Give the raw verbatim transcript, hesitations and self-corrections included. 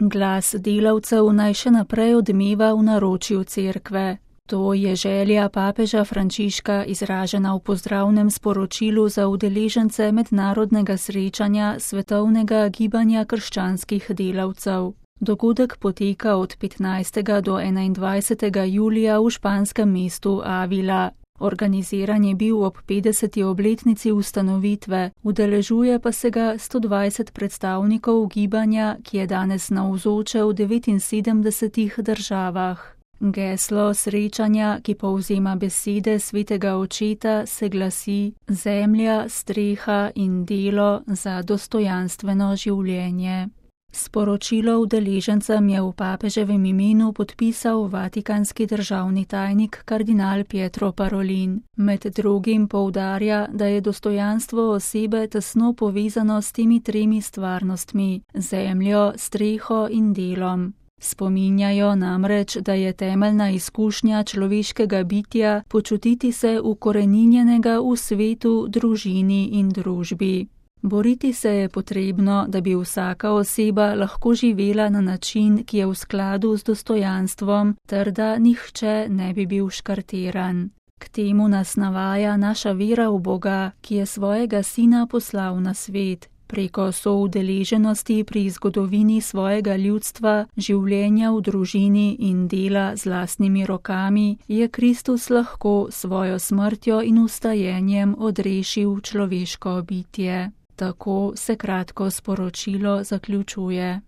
Glas delavcev naj še naprej odmeva v naročju cerkve. To je želja papeža Frančiška izražena v pozdravnem sporočilu za udeležence mednarodnega srečanja Svetovnega gibanja krščanskih delavcev. Dogodek poteka od petnajstega do enaindvajsetega julija v španskem mestu Avila. Organiziran je bil ob petdeseti obletnici ustanovitve, udeležuje pa se ga sto dvajset predstavnikov gibanja, ki je danes navzoče v devetinsedemdesetih državah. Geslo srečanja, ki povzema besede svetega očeta, se glasi: Zemlja, streha in delo za dostojanstveno življenje. Sporočilo udeležencem je v papeževem imenu podpisal vatikanski državni tajnik kardinal Pietro Parolin. Med drugim poudarja, da je dostojanstvo osebe tesno povezano s temi tremi stvarnostmi: zemljo, streho in delom. Spominjajo namreč, da je temeljna izkušnja človeškega bitja počutiti se ukoreninjenega v svetu, družini in družbi. Boriti se je potrebno, da bi vsaka oseba lahko živela na način, ki je v skladu z dostojanstvom, ter da nihče ne bi bil škartiran. K temu nas navaja naša vera v Boga, ki je svojega sina poslal na svet. Preko soudeleženosti pri zgodovini svojega ljudstva, življenja v družini in dela z lastnimi rokami je Kristus lahko svojo smrtjo in vstajenjem odrešil človeško bitje. Tako se kratko sporočilo zaključuje.